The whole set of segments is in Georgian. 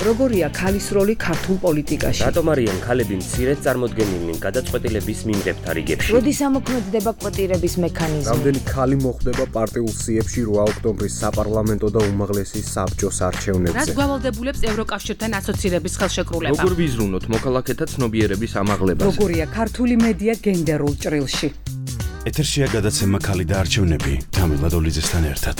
როგორია ქალის როლი ქართულ პოლიტიკაში? რატომ არიან ქალები მცირედ წარმოდგენილნი გადაწყვეტილების მიმღებთა რიგებში? როდის ამოქმედდება კვოტირების მექანიზმი? რამდენი ქალი მოხვდება პარტიულ სიებში 8 ოქტომბრის საპარლამენტო და უმაღლესი საბჭოს არჩევნებზე? რაც გვალდებულებს ევროკავშირთან ასოცირების ხელშეკრულება? როგორ ვიზრუნოთ მოქალაქეთა ცნობიერების ამაღლებას? როგორია ქართული მედია გენდერულ ჭრილში? ეთერშია გადაცემა ქალი და არჩევნები თამილ ლადოლიძესთან ერთად.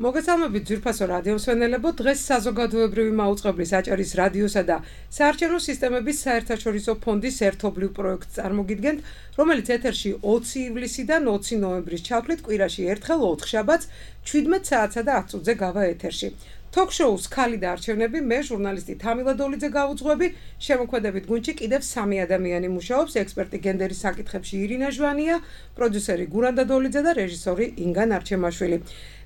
მოგესალმებით ძვირფასო რადიო მსმენელებო, დღეს საზოგადოებრივი მაუწყებლის აჭარის რადიოსა და საარჩევნო სისტემების საერთაშორისო ფონდის ერთობლივ პროექტს წარმოგიდგენთ, რომელიც ეთერში 20 ივლისიდან 20 ნოემბრის ჩათვლით კვირაში ერთხელ 4 შაბათს 17 საათსა და 10 წუთზე გავა ეთერში. Talk-shows ქალი და არჩევნები, მე ჟურნალისტი თამილ ლადოლიძე გავუძღვები, შემოქმედებით გუნდში კიდევ 3 ადამიანი მუშაობს, ექსპერტი გენდერის საკითხებში ირინა ჟვანია, პროდიუსერი გურანდა დოლიძე და რეჟისორი ინგა ნარჩემაშვილი.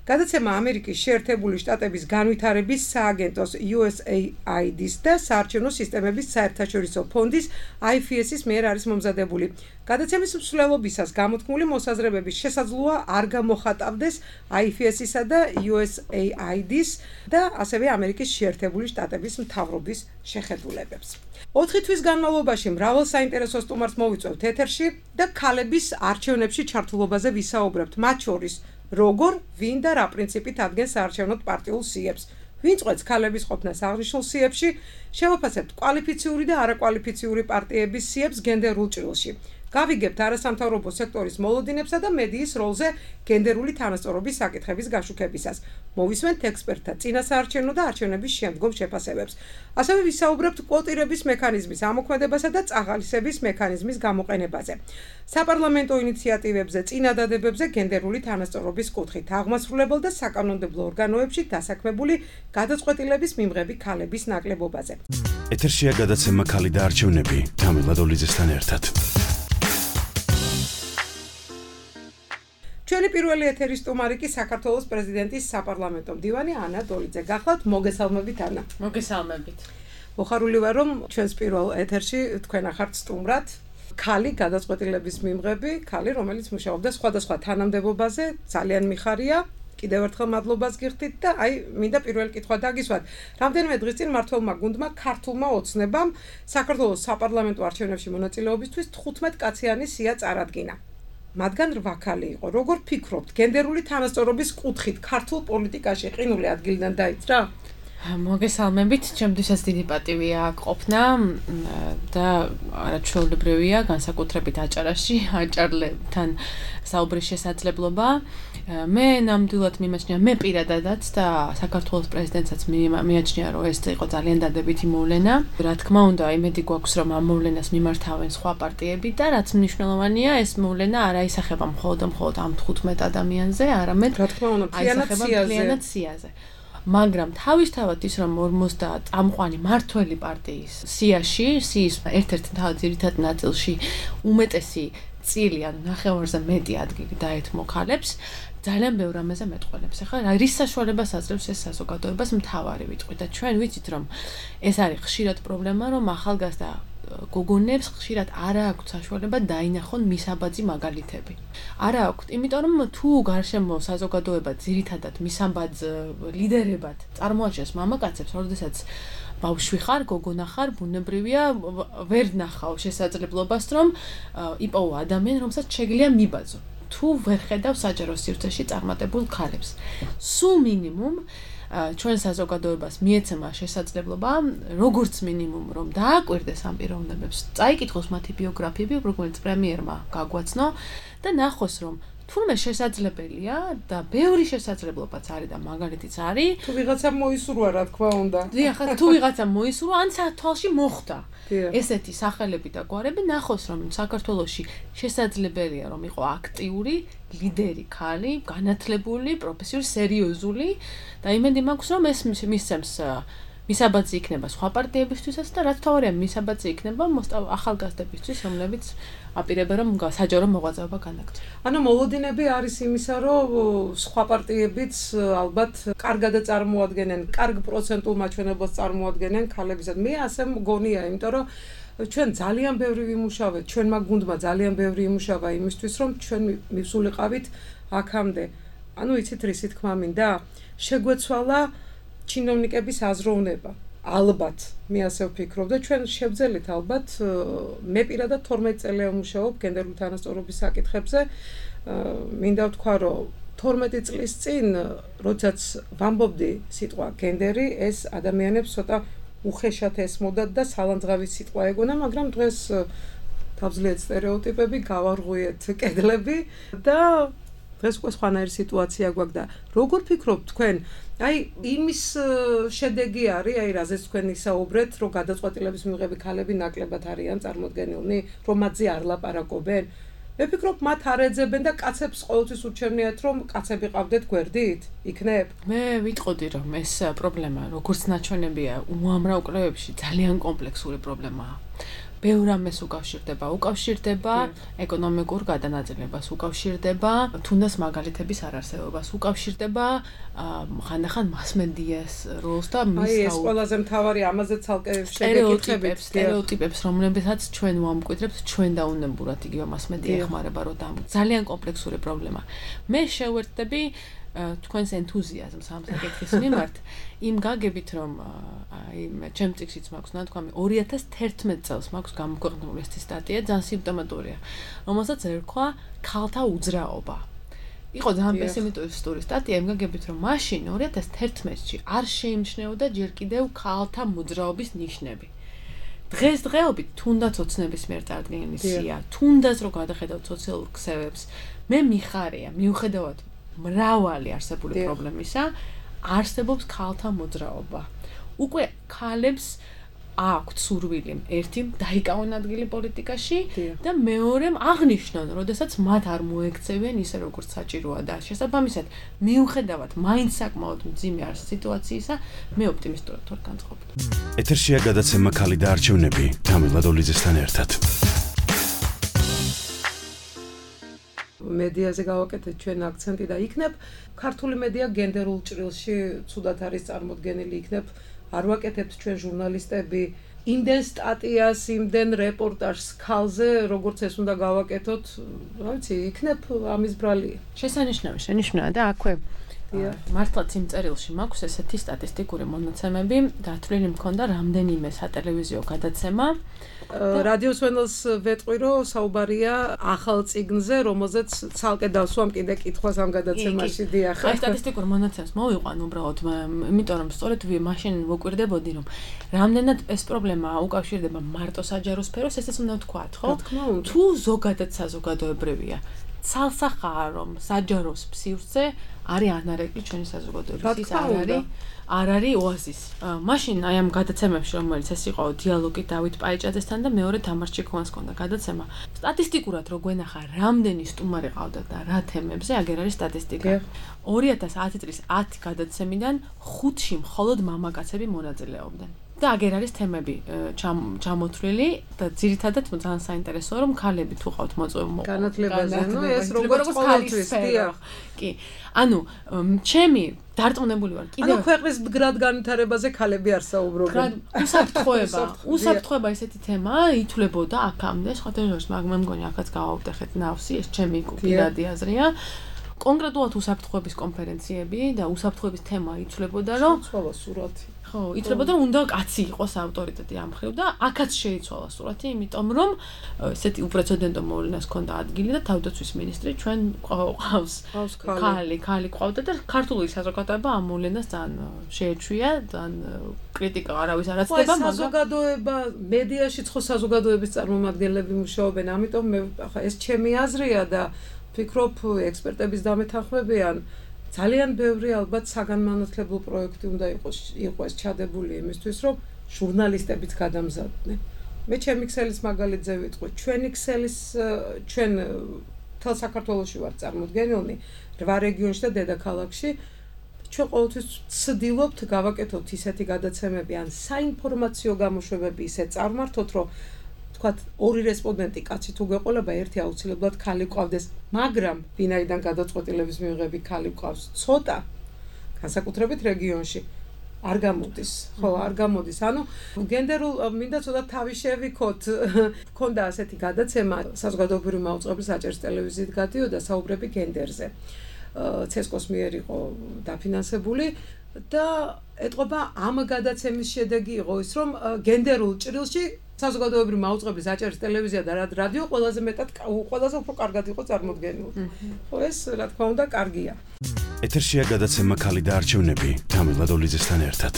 გადაცემა ამერიკის შეერთებული შტატების განვითარების სააგენტოს USAID-ის და საარჩევნო სისტემების საერთაშორისო ფონდის IFS-ის მიერ არის მომზადებული. გადაცემის მსვლელობისას გამოთქმული მოსაზრებების შესაძლოა არ გამოხატავდეს IFS-ისა და USAID-ის და ასევე ამერიკის შეერთებული შტატების მთავრობის შეხედულებებს. 4 თვის განმავლობაში მრავალ საინტერესო სტუმარს მოვიწვევთ ეთერში და ქალების არჩევნებში ჩართულობაზე ვისაუბრებთ, მათ შორის როგორ, ვინ და რა პრინციპით ადგენს საარჩევნოდ პარტიულ სიებს, ვინ წყვეტს ქალების ყოფნას აღნიშნულ სიებში, შევაფასებთ კვალიფიციური და არაკვალიფიციური პარტიების სიებს გენდერულ ჭრილში. გავიგებთ არასამთავრობო სექტორის მოლოდინებსა და მედიის როლზე გენდერული თანასწორობის საკითხების გაშუქებისას. მოვისმენთ ექსპერტთა წინასაარჩევნო და არჩევნების შემდგომ შეფასებებს. ასევე ვისაუბრებთ კვოტირების მექანიზმის ამოქმედებასა და წაღალისების მექანიზმის გამოყენებაზე. საპარლამენტო ინიციატივებზე, წინადადებებზე გენდერული თანასწორობის კუთხით, აღმასრულებელ და საკანონმდებლო ორგანოებში დასაქმებული გადაწყვეტილების მიმღები ქალების ნაკლებობაზე. ეთერშია გადაცემა ქალი და არჩევნები თამილ ლადოლიძესთან ერთად. ჩვენი პირველი ეთერის სტუმარი კი საქართველოს პრეზიდენტის საპარლამენტო მდივანი ანა დოლიძე გახლავთ. მოგესალმებით ანა. მოგესალმებით. მოხარული ვარ რომ ჩვენს პირველ ეთერში თქვენ ახართ სტუმრად ქალი გადაწყვეტილების მიმღები, ქალი რომელიც მუშაობდა სხვადასხვა თანამდებობაზე, ძალიან მიხარია. კიდევ ერთხელ მადლობას გიხდით და მინდა პირველი კითხვა დაგისვათ. რამდენიმე დღის წინ მმართველმა გუნდმა ქართულმა ოცნებამ საქართველოს საპარლამენტო არჩევნებში მონაწილეობისთვის 15 კაციანი სია წარადგინა. მათგან 8 ქალი იყო. როგორ ფიქრობთ, გენდერული თანასწორობის კუთხით ქართულ პოლიტიკაში ყინული ადგილიდან დაიძრა? მოგესალმებით, ჩემთვისაც დიდი პატივია ყოფნა და არაჩვეულებრივია განსაკუთრებით აჭარაში, აჭარლებთან საუბრის შესაძლებლობა. მე ნამდვილად მიმაჩნია, მე პირადადაც და საქართველოს პრეზიდენტსაც მიაჩნია, რომ ეს იყო ძალიან დადებითი მოვლენა. რა თქმა უნდა, იმედი გვაქვს, რომ ამ მოვლენას მიმართავენ სხვა პარტიები და რაც მნიშვნელოვანია, ეს მოვლენა არ აისახება მხოლოდ ამ 15 ადამიანზე, არამედ რა თქმა უნდა, მთლიანად სიაზე. მაგრამ თავისთავად ის რომ 50 წამყვანი მართველი პარტიის სიის ერთ-ერთ ძირითად ნაწილში უმეტესი წილი, ანუ ნახევარზე მეტი ადგილი დაეთმო ქალებს, ძალიან ბევრ რამეზე მეტყველებს. ახლა რის საშუალებას აძლევს ეს საზოგადოებას მთავარი ვიტყვი და ჩვენ ვიცით რომ ეს არის ხშირად პრობლემა, რომ ახალგაზრდა გოგონებს ხშირად არ აქვთ საშუალება დაინახონ მისაბაძი მაგალითები. არ აქვთ, იმიტომ რომ თუ გარშემო საზოგადოება ძირითადად მისაბაძ ლიდერებად წარმოაჩენს მამაკაცებს, როდესაც ბავშვი ხარ, გოგონა ხარ, ბუნებრივია ვერ ნახავ შესაძლებლობას, რომ იპოვო ადამიანი, რომელსაც შეგიძლია მიბაძო. თუ ვერ ხედავ საჯარო სივრცეში წარმატებულ ქალებს. სულ მინიმუმ ჩვენ საზოგადოებას მიეცემა შესაძლებლობა, როგორც მინიმუმ რომ დააკვირდეს ამ პიროვნებებს, წაიკითხოს მათი ბიოგრაფიები, როგორც პრემიერმა გაგვაცნო და ნახოს რომ თურმე შესაძლებელია და ბევრი შესაძლებლობაც არის და მაგალითიც არის. თუ ვიღაცამ მოისურვა, რა თქმა უნდა. დიახ, თუ ვიღაცამ მოისურვა, ან თვალში მოხდა. ესეთი სახელები და გვარები ნახოს რომ საქართველოში შესაძლებელია რომ იყო აქტიური, ლიდერი ქალი, განათლებული, პროფესიული, სერიოზული და იმედი მაქვს რომ ეს მისცემს მისაბაძი იქნება სხვა პარტიებისთვისაც და რაც თავარია მისაბაძი იქნება ახალგაზრდებისთვის, რომლებიც აპირებენ რომ საჯარო მოღვაწეობა განაგრძო. ანუ მოლოდინები არის იმისა, რომ სხვა პარტიებიც ალბათ კარგად წარმოადგენენ, კარგ პროცენტულ მაჩვენებლებს წარმოადგენენ ქალებისად. მე ასე მგონია, იმიტომ რომ ჩვენ ძალიან ბევრი ვიმუშავეთ, ჩვენმა გუნდმა ძალიან ბევრი იმუშავა იმისთვის, რომ ჩვენ მივსულიყავით აქამდე. ანუ იცით რისი თქმა მინდა? შეგვეცვალა ჩინოვნიკების აზროვნება. ალბათ, მე ასე ვფიქრობ და ჩვენ შევძელით ალბათ მე პირადად 12 წელია ვმუშაობ გენდერული თანასწორობის საკითხებზე. მინდა ვთქვა, რომ 12 წლის წინ, როდესაც ვამბობდი სიტყვა გენდერი, ეს ადამიანებს ცოტა უხეშად ესმოდათ და სალანძღავი სიტყვა ეგონა, მაგრამ დღეს თავზლიეთ სტერეოტიპები, გავარღვიეთ კედლები და დღეს უკვე სხვანაირი სიტუაცია გვაქვს და როგორ ფიქრობთ თქვენ, აი იმის შედეგი არის, აი რაზეც თქვენ ისაუბრეთ, რომ გადაწყვეტილების მიღები ქალები ნაკლებად არიან წარმოდგენილნი, რომ მათზე არ ლაპარაკობენ. მე ვფიქრობ, მათ არ ეძებენ და კაცებს ყოველთვის ურჩევნიათ, რომ კაცები ყავდეთ გვერდით, იქნებ. მე ვიტყოდი, რომ ეს პრობლემა, როგორც ნაჩვენებია, უამრავ კვლევებში ძალიან კომპლექსური პრობლემაა. ბევრ ამას უკავშირდება ეკონომიკურ გადანაწილებას, უკავშირდება თუნდაც მაგალითების არარსებობას, უკავშირდება ხანდახან მასმედიას როლს და მის ეს ყველაზე მთავარი ამაზე ცალკე შეგეკითხებით სტერეოტიპებს, რომლებსაც ჩვენ ვამკვიდრებთ ჩვენ დაუნებურად იგივე მასმედია ეხმარება რომ ძალიან კომპლექსური პრობლემა. მე შევერთდები თქვენს ენთუზიაზმს ამ საკითხის მიმართ იმ გაგებით რომ აი ჩემ წიგნშიც მაქვს ნათქვამი 2011 წელს მაქვს გამოქვეყნებული ეს სტატია ძალიან სიმპტომატურია რომელსაც ერქვა ქალთა უძრაობა იყო ძალიან პესიმისტური სტატია იმ გაგებით რომ მაშინ 2011-ში არ შეიმჩნეოდა ჯერ კიდევ ქალთა მოძრაობის ნიშნები დღესდღეობით თუნდაც ოცნების მიერ წარდგენილი სია თუნდაც რო გადახედავთ სოციალურ ქსევებს მე მიხარია მიუხედავად მრავალი არსებული პრობლემისა არსებობს ქალთა მოძრაობა. უკვე ქალებს აქვთ სურვილი ერთი დაიკავონ ადგილი პოლიტიკაში და მეორემ აღნიშნონ, როდესაც მათ არ მოექცევიან ისე როგორც საჭიროა და შესაბამისად მიუხედავად მაინც საკმაოდ მძიმე არის სიტუაციისა, მე ოპტიმისტურად ვარ განწყობილი. ეთერშია გადაცემა ქალი და არჩევნები თამილ ლადოლიძესთან ერთად. მედიაზე გავაკეთეთ ჩვენ აქცენტი და იქნებ ქართული მედია გენდერულ ჭრილში ცუდად არის წარმოდგენილი იქნებ არ ვაკეთებთ ჩვენ ჟურნალისტები იმდენ სტატიას, იმდენ რეპორტაჟს ქალზე, როგორც ეს უნდა გავაკეთოთ, რა ვიცი, იქნებ ამის ბრალი. შენიშნავია და აქვე მართლაც იმ წერილში მაქვს ესეთი სტატისტიკური მონაცემები, გათვლილი მქონდა რამდენიმე სატელევიზიო გადაცემა. რადიოს ვენელს ვეტყვი, რომ საუბარია ახალ წიგნზე, რომელზეც ცალკე დავსვამ კიდე კითხვას ამ გადაცემაში დიახ. აი სტატისტიკურ მონაცემს მოვიყვან უბრალოდ, იმიტომ რომ სწორედ მაშინ ვუკვირდებოდი, რომ რამდენად ეს პრობლემა უკავშირდება მარტო საჯარო სფეროს, ესეც უნდა ვთქვათ, ხო? თუ ზოგადად საზოგადოებრივია. ცალსახაა რომ საჯაროს სივრცე არის ანარეკლი ჩვენი საზოგადოების არ არის ოაზისი. მაშინ აი ამ გადაცემებში რომელიც ეს იყო დიალოგი დავით პაიჭაძესთან და მეორე თამარ ჩიქოვანს ჰქონდა გადაცემა. სტატისტიკურად რო გვენახა რამდენი სტუმარი ყავდა და რა თემებზე, აგერ არის სტატისტიკა. 2010 წლის 10 გადაცემიდან 5-ში მხოლოდ მამაკაცები მონაწილეობდნენ. და აგერ არის თემები ჩამოთვლილი და ძირითადად ძალიან საინტერესოა რომ ქალები თუ ყავთ მოწვეულობა განათლებაზე, ნუ ეს როგორც ყოველთვის დიახ. კი. ანუ ჩემი დარწმუნებული ვარ კიდევ ანუ ქვეყნის მდგრად განვითარებაზე ქალები არ საუბრობენ. უსაფრთხოება ესეთი თემაა, ითვლებოდა აქამდე, სხვადასხვა მე მგონი აქაც გავაუტეხეთ ნავსი, ეს ჩემი პირადი აზრია. კონკრეტულად უსაფრთხოების კონფერენციები და უსაფრთხოების თემა ითვლებოდა, რომ ცვალა სურათი. ხო, ითვლებოდა, რომ უნდა კაცი იყოს ავტორიტეტი ამ მხრივ და აქაც შეიცვალა სურათი, იმიტომ რომ ესეთი უპრეცედენტო მოვლენას ჰქონდა ადგილი და თავდაცვის მინისტრი ჩვენ ყავს ქალი ყავდა და ქართული საზოგადოება ამ მოვლენას ძალიან შეეჩვია, ძალიან კრიტიკა არავის არ აცდება, მაგრამ საზოგადოება მედიაში ხო საზოგადოების წარმომადგენლები მუშაობენ, ამიტომ მე ახლა ეს ჩემი აზრია და ვფიქრობ ექსპერტების დამეთანხმებიან ძალიან ბევრი ალბათ საგანმანათლებლო პროექტი უნდა იყოს ჩადებული იმისთვის, რომ ჟურნალისტებიც გადამზადდნენ. მე ჩემი ქსელის მაგალითზე ვიტყვი, ჩვენი ქსელის ჩვენ თელ საქართველოში ვარ წარმოდგენილნი 8 რეგიონში და დედაქალაქში. ჩვენ ყოველთვის ვცდილობთ გავაკეთოთ ისეთი გადაცემები ან საინფორმაციო გამოშვებები ისე წარმართოთ, რომ თქვათ ორი რესპონდენტი კაცი თუ გვეყოლება, ერთი აუცილებლად ქალი ყავდეს, მაგრამ ვინაიდან გადაწყვეტილების მიღები ქალი ყავს ცოტა, განსაკუთრებით რეგიონში არ გამოდის, ხო, არ გამოდის. ანუ გენდერულ მინდა ცოტა თავი შევიქოთ. ქონდა ასეთი გადაცემა საზოგადოებრივი მაუწყებლის აჭარის ტელევიზიით გადიოდა საუბრები გენდერზე. ცესკოს მიერ იყო დაფინანსებული და ეტყობა ამ გადაცემის შედეგი იყო ის, რომ გენდერულ ჭრილში საზოგადოებრივი მაუწყებლის აჭარის ტელევიზია და რადიო ყველაზე უფრო კარგად იყო წარმოდგენილი. ხო, ეს რა თქმა უნდა კარგია. ეთერშია გადაცემა ქალი და არჩევნები თამილ ლადოლიძესთან ერთად.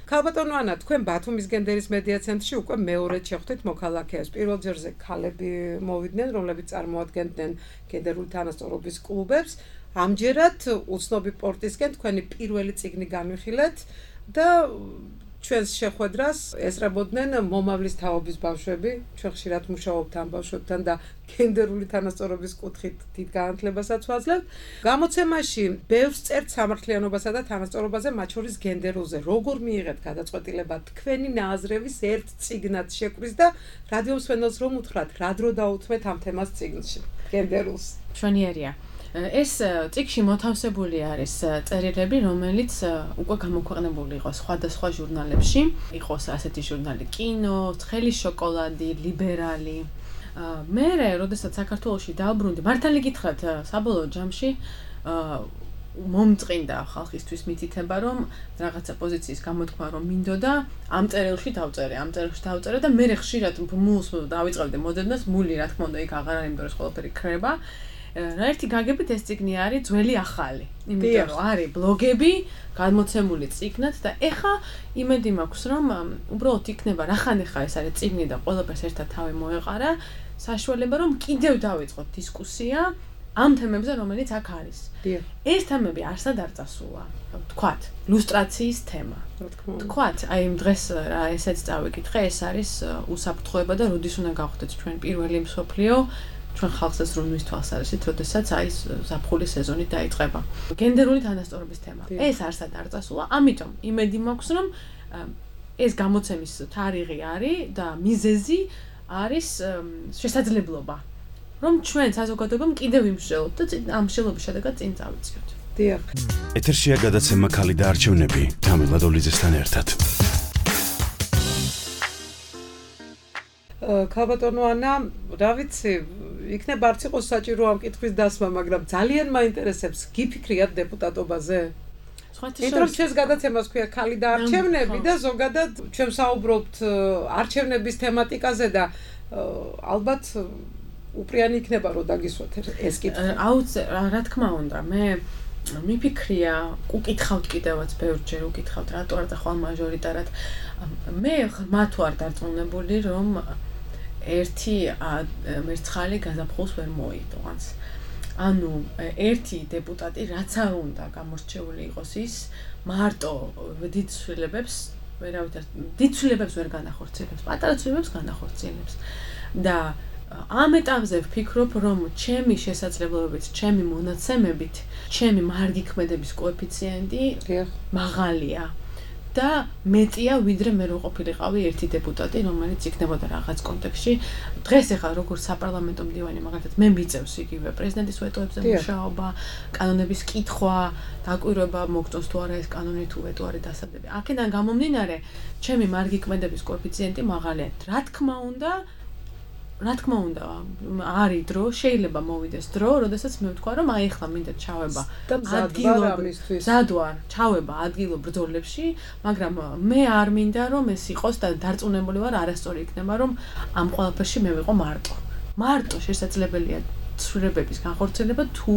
ქალბატონო ანა, თქვენ ბათუმის გენდერის მედია ცენტრში უკვე მეორედ შეხვდით მოქალაქეებს. პირველ ჯერზე ქალები მოვიდნენ, რომლებიც წარმოადგენდნენ გენდერული თანასწორობის კლუბებს. ამჯერად უცნობი პორტისკენ თქვენი პირველი წიგნი განვიხილეთ და ჩვენს შეხვედრას ესწრებოდნენ მომავლის თაობის ბავშვები. ჩვენ ხშირად მუშაობთ ამ ბავშვებთან და გენდერული თანასწორობის კუთხით დიდ განათლებასაც ვაძლევთ. გამოცემაში ბევრს წერთ სამართლიანობასა და თანასწორობაზე, მათ შორის გენდერულზე. როგორ მიიღეთ გადაწყვეტილება თქვენი ნაზრების ერთ წიგნად შეკვრის და რადიო მსმენელს რომ უთხრათ, რა დრო დაუთმეთ ამ თემას წიგნში, გენდერულს? მშვენიერია. ეს წიგნში მოთავსებული არის წერილები, რომელიც უკვე გამოქვეყნებული იყო სხვადასხვა ჟურნალებში. იყოს ასეთი ჟურნალი კინო, ცხელი შოკოლადი, ლიბერალი. მე, როდესაც საქართველოში დავბრუნდი, მართალი გითხრათ, საბოლოო ჯამში მომწყინდა ხალხისთვის მითითება, რომ რაღაცა პოზიციის გამოთქმა რომ მინდოდა, ამ წერილში დავწერე და მე ხშირად მულს დავიწყებდი მოდედნას, მული რა თქმა უნდა იქ აღარ არის, იმიტომ რომ ეს ყველაფერი ქრება. ერთი გაგებით ეს წიგნი არის ძველი ახალი. იმიტომ რომ არის ბლოგები გადმოცემული წიგნად და ეხა იმედი მაქვს რომ უბრალოდ იქნება რახანეხა ეს არის წიგნი და ყველაფერს ერთად თავი მოეყარა, საშუალება რომ კიდევ დავიწყოთ დისკუსია ამ თემებზე, რომელიც აქ არის. ეს თემები არსად არ წასულა. თქვათ, ლუსტრაციის თემა. თქვათ, აი დღეს რა ესეც წავიკითხე, ეს არის უსაფრთხოება და როდის უნდა გავხდეთ ჩვენ პირველი მსოფლიო ჩვენ ხალხსაც რომ მისთვალსაზრისით, როდესაც აი ზაფხულის სეზონი დაიწყება. გენდერული თანასწორობის თემა. ეს არსად არ წასულა, ამიტომ იმედი მაქვს, რომ ეს გამოცემის თარიღი არის და მიზეზი არის შესაძლებლობა, რომ ჩვენ საზოგადოებამ კიდევ იმსჯელოთ და ამ მსჯელობის შედეგად წინ წავიწიოთ. დიახ. ეთერშია გადაცემა ქალი და არჩევნები თამილ ლადოლიძესთან ერთად. ქალბატონო ანა, რა ვიცი, იქნება არც იყოს საჭირო ამ კითხვის დასმა, მაგრამ ძალიან მაინტერესებს გიფიქრიათ დეპუტატობაზე? იმიტომ რომ ჩვენს გადაცემას ქვია ქალი და არჩევნები და ზოგადად ჩვენ საუბრობთ არჩევნების თემატიკაზე და ალბათ უპრიანი იქნება რომ დაგისვათ ეს კითხვა. რა თქმა უნდა, მე მიფიქრია, უკითხავთ კიდევაც ბევრჯერ უკითხავთ, რატო არ წახვალ მაჟორიტარად. მე მათ ვარ დარწმუნებული, რომ ერთი მერცხალი გაზაფხულს ვერ მოიტოვანს. ანუ ერთი დეპუტატი რაც არ უნდა გამორჩეული იყოს ის მარტო დიდ ცვლილებებს ვერ განახორციელებს, პატარა ცვლილებებს განახორციელებს. და ამ ეტაპზე ვფიქრობ, რომ ჩემი შესაძლებლობებით, ჩემი მონაცემებით, ჩემი მარგი ქმედების კოეფიციენტი მაღალია. და მეტია ვიდრე მე რო ყოფილიყავი ერთი დეპუტატი, რომელიც იქნებოდა რაღაც კონტექსტში. დღეს ახლა როგორც საპარლამენტო მდივანი, მაგალითად, მე მიწევს იგივე პრეზიდენტის ვეტოებზე მუშაობა, კანონების კითხვა, დაკვირვება მოგწონს თუ არა ეს კანონი თუ ვეტო არის დასადები. აქედან გამომდინარე, ჩემი მარგი ქმედების კოეფიციენტი მაღალია. რა თქმა უნდა, არის დრო, შეიძლება მოვიდეს დრო, როდესაც მე ვთქვა, რომ აი ახლა მინდა ჩავება ადგილობრივ ბრძოლებში, მაგრამ მე არ მინდა რომ ეს იყოს და დარწმუნებული ვარ, არასწორი იქნება, რომ ამ ყველაფერში მე ვიყო მარტო შესაძლებელია ცვლილებების განხორციელება თუ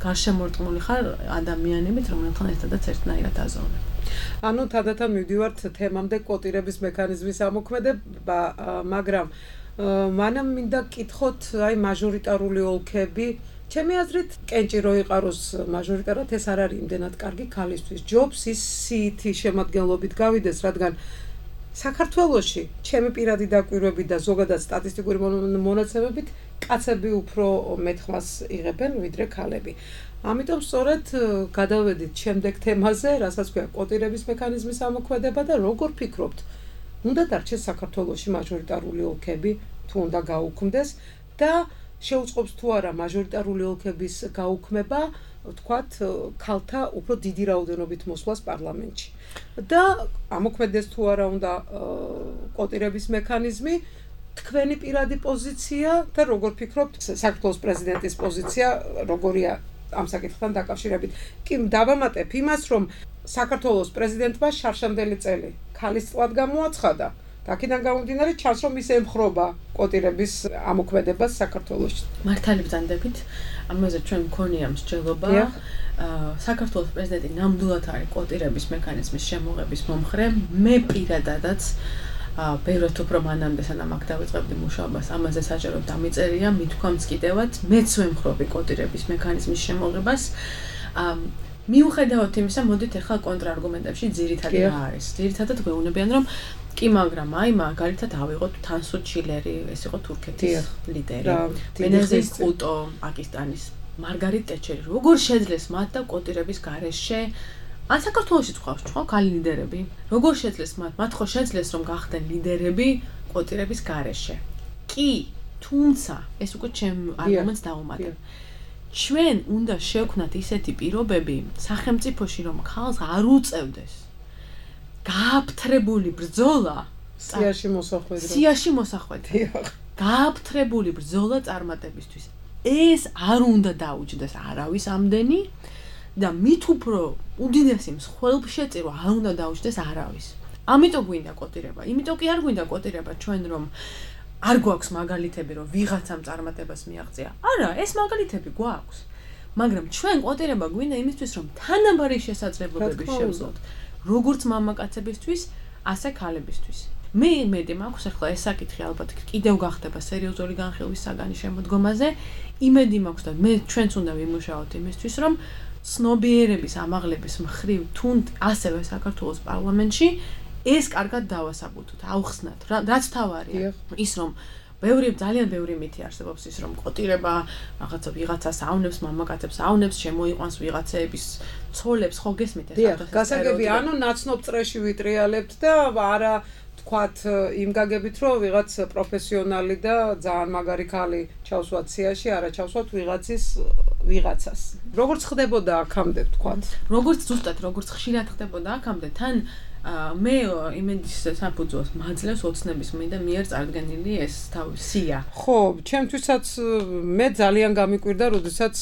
გარშემორტყმული ხარ ადამიანებით, რომელთთან ერთადაც ერთნაირად აზროვნებ. ანუ თანდათან მივდივართ თემამდე კვოტირების მექანიზმის ამოქმედება, მაგრამ მანამ მინდა კითხოთ აი მაჟორიტარული ოლქები. ჩემი აზრით, კენჭი რო იყაროს მაჟორიტარად, ეს არ არის იმდენად კარგი ქალისთვის. ჯობს ის სიითი შემადგენლობით გავიდეს, რადგან საქართველოში ჩემი პირადი დაკვირვებით და ზოგადად სტატისტიკური მონაცემებით კაცები უფრო მეტ ხმას იღებენ ვიდრე ქალები. ამიტომ სწორედ გადავედით შემდეგ თემაზე, რასაც ქვია კვოტირების მექანიზმის ამოქმედება და როგორ ფიქრობთ, უნდა დარჩეს საქართველოში მაჟორიტარული ოლქები, თუ უნდა გაუქმდეს და შეუწყობს თუ არა მაჟორიტარული ოლქების გაუქმება, ვთქვათ, ქალთა უფრო დიდი რაოდენობით მოსვლას პარლამენტში. და ამოქმედეს თუ არა უნდა კვოტირების მექანიზმი, თქვენი პირადი პოზიცია და როგორ ფიქრობთ საქართველოს პრეზიდენტის პოზიცია როგორია ამ საკითხთან დაკავშირებით? კი დავამატებ იმას, რომ საქართველოს პრეზიდენტმა შარშანდელი წელი ქალისწლად გამოაცხადა. აქედან გამომდინარე ჩანს რომ ის ემხრობა კოტირების ამოქმედებას საქართველოში. მართალი ბრძანდებით, ამაზე ჩვენ მქონია მსჯელობა. საქართველოს პრეზიდენტი ნამდვილად არის კოტირების მექანიზმის შემოღების მომხრე. მე პირადადაც ბევრად უფრო მანამდე სანამ აქ დავიწყებდი მუშაობას, ამაზე საჯაროდ დამიწერია, მithქვამს კიდევაც, მეც ვემხრობი კოტირების მექანიზმის შემოღებას. მიუხედავად იმისა, მოდით ახლა კონტრარგუმენტებში ძირითადი რა არის. ძირითადად გვეუბნებიან, რომ კი, მაგრამ მაგალითად ავიღოთ თანსუ ჩილერი, ეს იყო თურქეთის ლიდერი. ბენაზირ ბუტო, პაკისტანის, მარგარიტ ტეჩერი. როგორ შეძლეს მათ და კოტირების გარეშე ან საქართველოშიც ყავს ხო ქალი ლიდერები? როგორ შეძლეს მათ ხო შეძლეს რომ გახდნენ ლიდერები კოტირების გარეშე? კი, თუმცა ეს უკვე ჩემ არგუმენტს დავუმატებ. ჩვენ უნდა შევქმნათ ისეთი პირობები სახელმწიფოში, რომ ქალს არ უწევდეს გააფთრებული ბრძოლა სიაში მოსახვედრად. სიაში მოსახვედრად. გააფთრებული ბრძოლა წარმატებისთვის. ეს არ უნდა დაუჯდეს არავის ამდენი და მით უფრო უდიდესი მსხვერპლშეწირვა არ უნდა დაუჯდეს არავის. ამიტომ გვინდა კოტირება. იმიტომ კი არ გვინდა კოტირება ჩვენ რომ არ გვაქვს მაგალითები რომ ვიღაცამ წარმატებას მიაღწია. არა, ეს მაგალითები გვაქვს. მაგრამ ჩვენ კოტირება გვინდა იმისთვის რომ თანაბარი შესაძლებლობები შევძლოთ. როგორც მამაკაცებისთვის, ასე ქალებისთვის. მე იმედი მაქვს ახლა ეს საკითხი ალბათ კიდევ გახდება სერიოზული განხილვის საგანი შემოდგომაზე. იმედი მაქვს და მე ჩვენც უნდა ვიმუშაოთ იმისთვის, რომ ცნობიერების ამაღლების მხრივ თუნდ ასევე საქართველოს პარლამენტში ეს კარგად დავასაბუთოთ, ავხსნათ. რაც თავარია, ის რომ ძალიან ბევრი მითი არსებობს ის რომ კოტირება რაღაცა ვიღაცას ავნებს, მამაკაცებს ავნებს, შემოიყვანს ვიღაცების ცოლებს, ხო გესმით ეს ახლა? გასაგები, ანუ ნაცნობ წრეში ვიტრიალებთ და არა თქვათ იმ გაგებით რომ ვიღაც პროფესიონალი და ძალიან მაგარი ქალი ჩავსვათ სიაში, არა ჩავსვათ ვიღაცას. როგორც ხდებოდა აქამდე თქვათ? როგორც ზუსტად, როგორც ხშირად ხდებოდა აქამდე, თან მე იმედის საფუძველს მაძლევს ოცნების მიერ წარდგენილი ეს სია. ხო, ჩემთვისაც მე ძალიან გამიკვირდა, როდესაც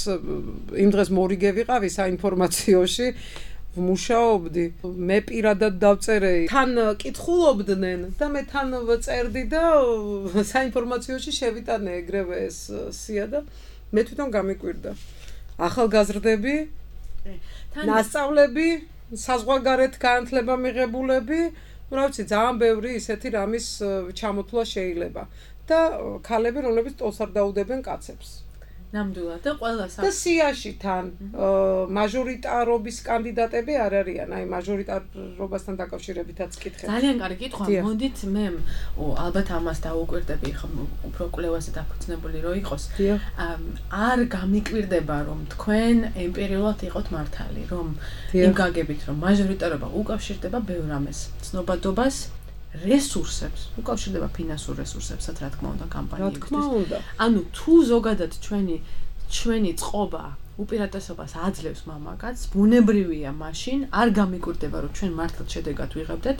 იმ დღეს მორიგე ვიყავი საინფორმაციოში, ვმუშაობდი. მე პირადად დავწერე, თან კითხულობდნენ და მე თან წერდი და საინფორმაციოში შევიტანე ეგრევე ეს სია და მე თვითონ გამიკვირდა. ახალგაზრდები, ნასწავლები საზღვარგარეთ განათლება მიღებულები, რა ვიცი, ძალიან ბევრი ისეთი რამის ჩამოთვლა შეიძლება და ქალები, რომლებიც ტოლს არ დაუდებენ კაცებს. ნამდვილად და ყველა და სიაში თან მაჟორიტარობის კანდიდატები არ არიან, აი მაჟორიტარობასთან დაკავშირებითაც კითხე. ძალიან კარგი კითხვა. მოდით მე ალბათ ამას დავუკვირდები, ხომ უფრო კვლევაზე დაფუძნებული რო იყოს. არ გამიკვირდება რომ თქვენ ემპერიულად იყოთ მართალი, რომ იმ გაგებით რომ მაჟორიტარობა უკავშირდება ბევრ რამეს, ცნობადობას, რესურსებს, უკავშირდება ფინანსურ რესურსებსაც, რა თქმა უნდა, კამპანიებისთვის. ანუ თუ ზოგადად ჩვენი წყობა უპირატესობას აძლევს მამაკაცს, ბუნებრივია მაშინ არ გამიკვირდება, რომ ჩვენ მართლაც შედეგად ვიღებდეთ,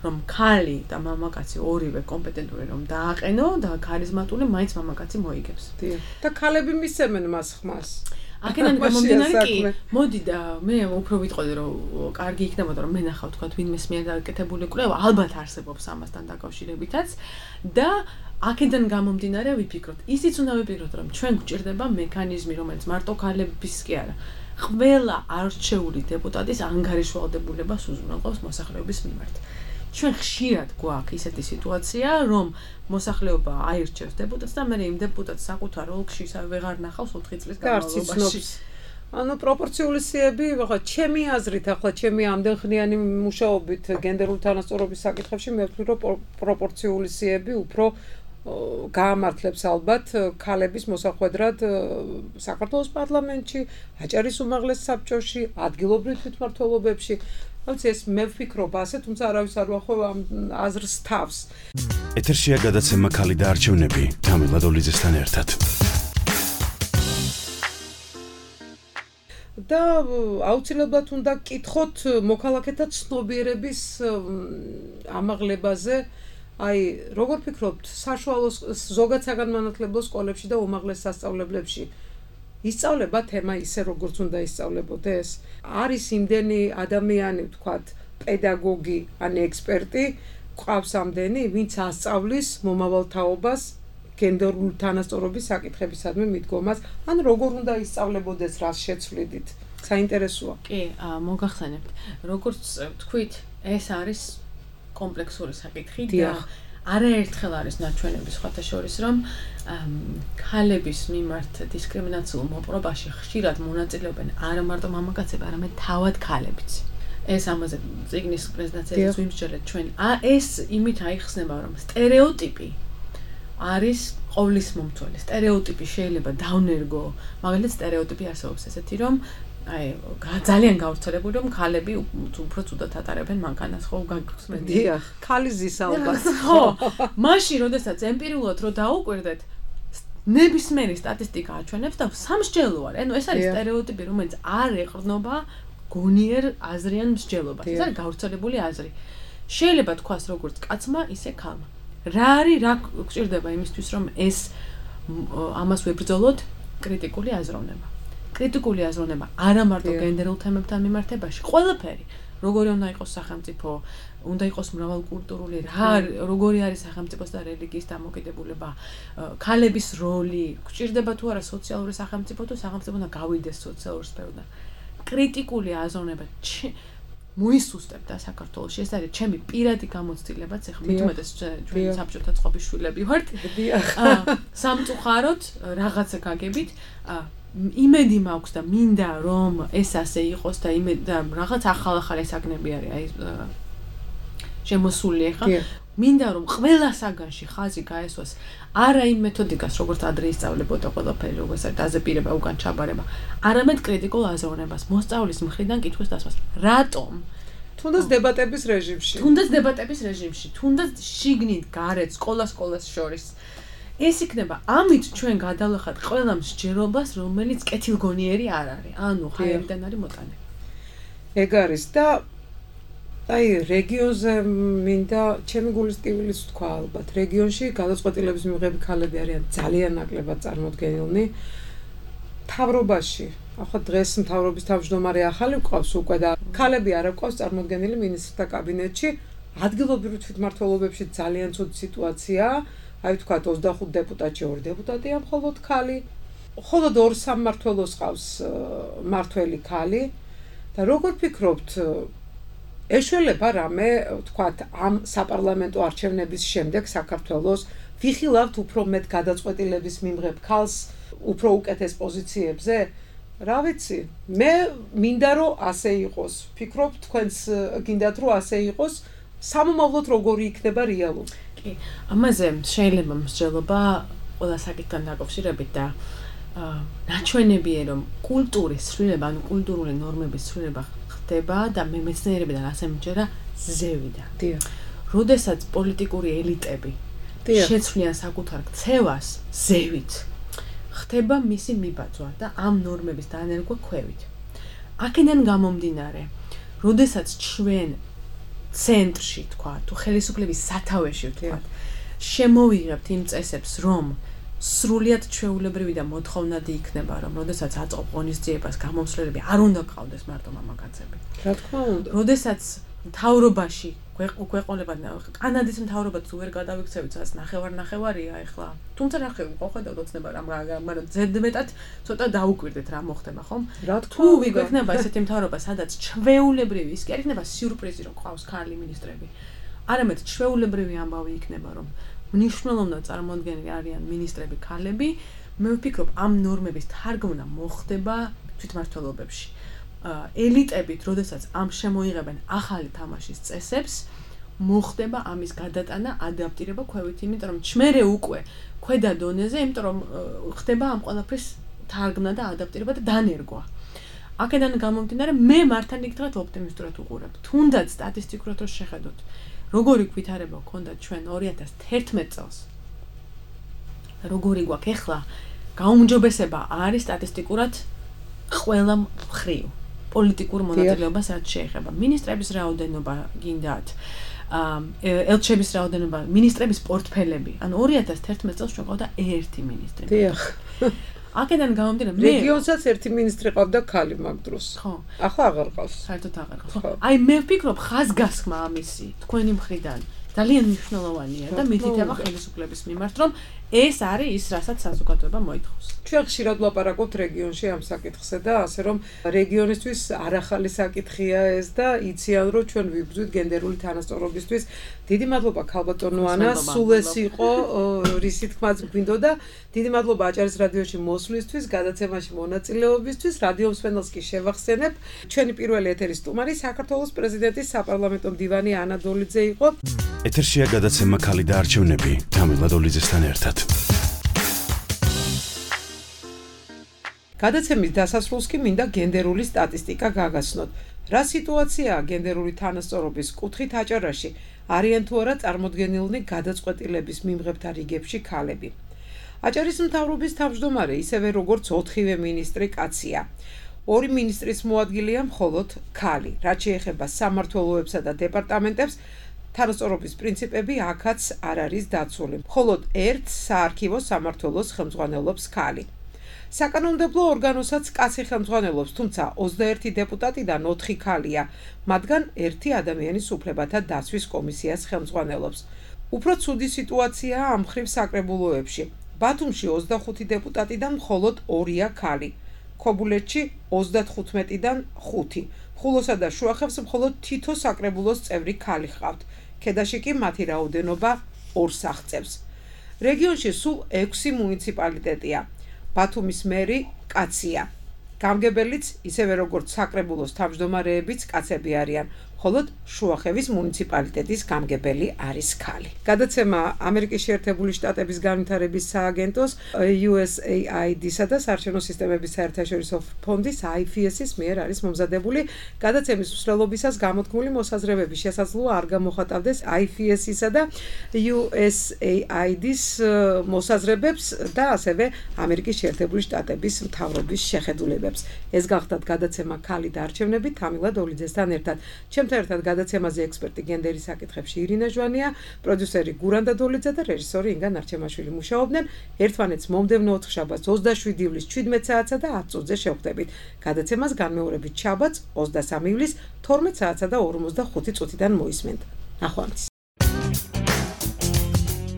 რომ ქალი და მამაკაცი ორივე კომპეტენტური რომ დააყენო და ქარიზმატული მაინც მამაკაცი მოიგებს. და ქალები მისცემენ მას ხმას. აქედან გამომდინარე კი, მოდი და მე უფრო ვიტყოდი რომ კარგი იქნებოდა რომ მე ნახავ თქვა ვინმეს მიერ დაკეთებული კვლევა, ალბათ არსებობს ამასთან დაკავშირებითაც და აქედან გამომდინარე ვიფიქროთ. ისიც უნდა ვიფიქროთ რომ ჩვენ გვჭირდება მექანიზმი, რომელიც მარტო ქალების კი არა, ყველა არჩეული დეპუტატის ანგარიშვალდებულებას უზრუნველყოფს მოსახლეობის მიმართ. ჩვენ ხშირად გვაქვს ისეთი სიტუაცია, რომ მოსახლეობა აირჩევს დეპუტატს და მე იმ დეპუტატს საკუთარ ოლქში ვეღარ ნახავს 4 წლის განმავლობაში. ანუ პროპორციული სიები, ახლა ჩემი აზრით, ახლა ჩემი ამდენხნიანი მუშაობით გენდერული თანასწორობის საკითხებში მე ვფიქრობ, რომ პროპორციული სიები უფრო გაამართლებს ალბათ ქალების მოსახვედრად საქართველოს პარლამენტში, აჭარის უმაღლეს საბჭოში, ადგილობრივ თვითმმართველობებში. რაც ეს მე ვფიქრობ ასე, თუმცა არავის არ ვახვევ ამ აზრს თავს. ეთერშია გადაცემა ქალი და არჩევნები თამილ ლადოლიძესთან ერთად. და აუცილებლად უნდა გკითხოთ მოქალაქეთა ცნობიერების ამაღლებაზე აი, როგორ ფიქრობთ, საშუალო ზოგად საგანმანათლებლო სკოლებში და უმაღლეს სასწავლებლებში ისწავლება თემა ისე როგორც უნდა ისწავლებოდეს? არის იმდენი ადამიანი, ვთქვათ, პედაგოგი ან ექსპერტი, ყავს ამდენი, ვინც ასწავლის მომავალ თაობას გენდერული თანასწორობის საკითხებისადმი მიდგომას, ან როგორ უნდა ისწავლებოდეს, რას შეცვლიდით? საინტერესოა. კი, მოგახსენებთ. როგორც თქვით, ეს არის კომპლექსური საკითხი და არაერთხელ არის ნაჩვენები სხვათა შორის, რომ ქალების მიმართ დისკრიმინაციულ მოპყრობაში ხშირად მონაწილეობენ არა მარტო მამაკაცები, არამედ თავად ქალებიც. ეს ამაზე წიგნის პრეზენტაციაზე ვიმსჯელეთ ჩვენ. ეს იმით აიხსნება, რომ სტერეოტიპი არის ყოვლის მომთველი. სტერეოტიპი შეიძლება დავნერგო, მაგალითად სტერეოტიპი არსებობს ესეთი, რომ აი ძალიან გავრცელებული, რომ ქალები უფრო ცუდად ატარებენ მანქანას, ხო, გაგხსნით. დიახ, ქალიზის ალბათ. ხო, მაშინ, როდესაც ემპირიულად რო დაუკვირდეთ, ნებისმიერი სტატისტიკა აჩვენებს და სამსჯელო არის. ანუ ეს არის სტერეოტიპი, რომელიც არ ეყრდნობა გონიერ აზრიან მსჯელობას. ეს არის გავრცელებული აზრი. შეიძლება თქვას როგორც კაცმა, ისე ქალმა. რა გჭირდება იმისთვის, რომ ეს ამას ვებრძოლოთ? კრიტიკული აზროვნება. კრიტიკული აზროვნება არა მარტო გენდერულ თემებთან მიმართებაში, ყველაფერი. როგორი უნდა იყოს სახელმწიფო, უნდა იყოს მრავალკულტურული, როგორი არის სახელმწიფოს და რელიგიის დამოკიდებულება, ქალების როლი, გჭირდება თუ არა სოციალური სახელმწიფო, თუ სახელმწიფო უნდა გავიდეს სოციალურ სფეროდან. კრიტიკული აზროვნება მოისუსტებდა საქართველოში. ეს არის ჩემი პირადი გამოცდილებაც, ეხლა მithumetes ჩვენ საბჭოთა წყობის შვილები ვართ. სამწუხაროდ რაღაცა გაგებით, იმედი მაქვს და მინდა რომ ეს ასე იყოს და რაღაც ახალ-ახალი საგნები არის აი შემოსული ახლა. მინდა რომ ყველა საგანში ხაზი გაესვას არა იმ მეთოდიკას, როგორც ადრე ისწავლებოდა ყველაფერი, როგორც არის დაზეპირება, უკან ჩაბარება, არამედ კრიტიკულ აზროვნებას, მოსწავლის მხრიდან კითხვის დასვას. რატომ? თუნდაც დებატების რეჟიმში. თუნდაც შიგნით გარეთ სკოლას შორის. ეს იქნება ამით ჩვენ გადავახად ყველა მსჯელობას, რომელიც კეთილგონიერი არ არის. ანუ ჰაერიდან არის მოტანილი. ეგ არის და აი რეგიონზე მინდა ჩემი გულის ტკივილიც თქვა ალბათ. რეგიონში გადაწყვეტილების მიღები ქალები არიან ძალიან ნაკლებად წარმოდგენილნი. მთავრობაში, ახლა დღეს მთავრობის თავმჯდომარე ახალი გვყავს უკვე და ქალები არ აქვს წარმოდგენილი მინისტრთა კაბინეტში. ადგილობრივ თვითმმართველობებში ძალიან ცუდი სიტუაციაა. აი ვთქვათ 25 დეპუტატში 2 დეპუტატია მხოლოდ ქალი. მხოლოდ 2 სამმართველოს ყავს მართველი ქალი. და როგორ ფიქრობთ, ეშველება რამე, ვთქვათ, ამ საპარლამენტო არჩევნების შემდეგ საქართველოს ვიხილავთ უფრო მეტ გადაწყვეტილების მიმღებ ქალს უფრო უკეთეს პოზიციებზე? რა ვიცი, მე მინდა რომ ასე იყოს. ფიქრობ თქვენს გინდათ რომ ასე იყოს, სამომავლოდ როგორი იქნება რეალურად? კი, ამაზე შეიძლება მსჯელობა ყველა საკითხთან დაკავშირებით და ნაჩვენებია რომ კულტურის ცვლილება, ანუ კულტურული ნორმების ცვლილება ხდება და მე მეცნიერებიდან ასე მჯერა ზევიდან. დიახ. როდესაც პოლიტიკური ელიტები შეცვლიან საკუთარ ქცევას ზევით, ხდება მისი მიბაძვა და ამ ნორმების დანერგვა ქვევით. აქედან გამომდინარე, როდესაც ჩვენ ცენტრში თქვა, თუ ხელისუფლების სათავეში თქვა, შემოვიღებთ იმ წესებს, რომ სრულიად ჩვეულებრივი და მოთხოვნადი იქნება, რომ როდესაც აწყობ ღონისძიებას გამომსვლელები არ უნდა გყავდეს მარტო მამაკაცები. რა თქმა უნდა. როდესაც მთავრობაში ქვეყნებად კანადის მთავრობაც ვერ გადავიქცევით, სადაც ნახევარია ახლა. თუმცა ნახევარი ყოხედავთ ოცნება რამ, მაგრამ ზედმეტად ცოტა დაუკვირდეთ რა მოხდება, ხომ? თუ ვიგვექნება ესეთი მთავრობა, სადაც ჩვეულებრივი, ის კი არ იქნება სიურპრიზი, რომ ყავს ქალი მინისტრები. არამედ ჩვეულებრივი ამბავი იქნება, რომ მნიშვნელოვნად წარმოადგენელი არიან მინისტრები ქალები, მე ვფიქრობ, ამ ნორმების თარგმნა მოხდება თვითმმართველობებში. ელიტებით, როდესაც ამ შემოიღებენ ახალი თამაშის წესებს, მოხდება ამის გადატანა, ადაპტირება ქვევით, იმიტომ რომ ჩმერე უკვე ქვედა დონეზე, იმიტომ რომ ხდება ამ ყველაფრის თარგმნა და ადაპტირება და დანერგვა. აქედან გამომდინარე, მე მართალია ოპტიმისტურად ვუყურებ. თუნდაც სტატისტიკურად რო შეხედოთ, როგორი ვითარება გქონდა ჩვენ 2011 წელს. როგორი გვაქვს ახლა, გაუმჯობესება არის სტატისტიკურად ყველა მხრივ. პოლიტიკურ მონაწილეობას რაც შეეხება. მინისტრების რაოდენობა გინდათ, ელჩების რაოდენობა, მინისტრების პორტფელები. ანუ 2011 წელს ჩვენ ყავდა ერთი მინისტრი. დიახ. აქედან გამომდინარე, რეგიონსაც ერთი მინისტრი ყავდა ქალი მაგ დროს. ხო. ახლა აღარ ყავს. საერთოდ აღარ ყავს. აი მე ვფიქრობ ხაზგასხმა ამისი თქვენი მხრიდან ძალიან მნიშვნელოვანია და მითითება ხელისუფლების მიმართ, რომ ეს არის ის, რასაც საზოგადოება მოითხოვს. ჩვენ ხშირად ვლაპარაკობთ რეგიონში ამ საკითხზე და ასე რომ რეგიონისთვის არახალი საკითხია ეს და იციან რომ ჩვენ ვიბრძვით გენდერული თანასწორობისთვის. დიდი მადლობა ქალბატონო ანა, სულ ეს იყო რისი თქმაც გვინდოდა. დიდი მადლობა აჭარის რადიოში მოსვლისთვის, გადაცემაში მონაწილეობისთვის. რადიო მსმენელს კი შევახსენებ, ჩვენი პირველი ეთერის სტუმარი საქართველოს პრეზიდენტის საპარლამენტო მდივანი ანა დოლიძე იყო. ეთერშია გადაცემა ქალი და არჩევნები თამილ ლადოლიძესთან ერთად. გადაცემის დასასრულს კი მინდა გენდერული სტატისტიკა გაგაცნოთ. რა სიტუაციაა გენდერული თანასწორობის კუთხით აჭარაში? არიან თუ არა წარმოდგენილნი გადაწყვეტილების მიმღებთა რიგებში ქალები? აჭარის მთავრობის თავმჯდომარე, ისევე როგორც 4-ვე მინისტრი კაცია. 2 მინისტრის მოადგილეა მხოლოდ ქალი. რაც შეეხება სამმართველოებსა და დეპარტამენტებს, თანასწორობის პრინციპები აქაც არ არის დაცული. მხოლოდ ერთ საარქივო სამმართველოს ხელმძღვანელობს ქალი. საკანონმდებლო ორგანოსაც კაცი ხელმძღვანელობს, თუმცა 21 დეპუტატიდან 4 ქალია, მათგან 1 ადამიანის უფლებათა დაცვის კომისიას ხელმძღვანელობს. უფრო ცუდი სიტუაციაა ამ მხრივ საკრებულოებში. ბათუმში 25 დეპუტატიდან მხოლოდ 2-ია ქალი. ქობულეთში 35-დან 5. ხულოსა და შუახევს მხოლოდ თითო საკრებულოს წევრი ქალი ჰყავთ. ქედაში კი მათი რაოდენობა 2-ს აღწევს. რეგიონში სულ 6 მუნიციპალიტეტია. ბათუმის მერი კაცია. გამგებელიც, ისევე როგორც საკრებულოს თავმჯდომარეებიც კაცები არიან. მხოლოდ შუახევის მუნიციპალიტეტის გამგებელი არის ქალი. გადაცემა ამერიკის შეერთებული შტატების განვითარების სააგენტოს USAID-სა და საარჩევნო სისტემების საერთაშორისო ფონდის IFES-ის მიერ არის მომზადებული. გადაცემის მსვლელობისას გამოთქმული მოსაზრებები შესაძლოა არ გამოხატავდეს IFES-ისა და USAID-ის მოსაზრებებს და ასევე ამერიკის შეერთებული შტატების მთავრობის შეხედულებებს. ეს გახლდათ გადაცემა ქალი და არჩევნები თამილ ლადოლიძესთან ერთად. ერთად გადაცემაზე ექსპერტი გენდერის საკითხებში ირინა ჟვანია, პროდიუსერი გურანდა დოლიძე და რეჟისორი ინგა ნარჩემაშვილი მუშაობდნენ. ერთმანეთს მომდევნო ოთხშაბათს 27 ივლის 17 საათსა და 10 წუთზე შევხვდებით. გადაცემას განმეორებით შაბათს 23 ივლის 12 საათსა და 45 წუთიდან მოისმენთ. ნახვამდის.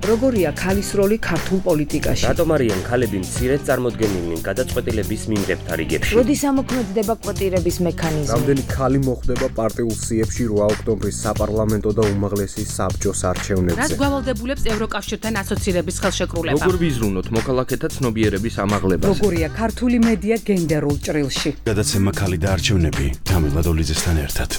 როგორია ქალის როლი ქართულ პოლიტიკაში? რატომ არიან ქალები მცირედ წარმოდგენილნი გადაწყვეტილების მიმღებთა რიგებში? როდის ამოქმედდება კვოტირების მექანიზმი? რამდენი ქალი მოხვდება პარტიულ სიებში 8 ოქტომბრის საპარლამენტო და უმაღლესი საბჭოს არჩევნებზე? რაც გვალავდებულებს ევროკავშირთან ასოცირების ხელშეკრულება? როგორ ვიზრუნოთ მოქალაქეთა ცნობიერების ამაღლებას? როგორია ქართული მედია გენდერულ ჭრილში? გადაცემა ქალი და არჩევნები თამილ ლადოლიძესთან ერთად.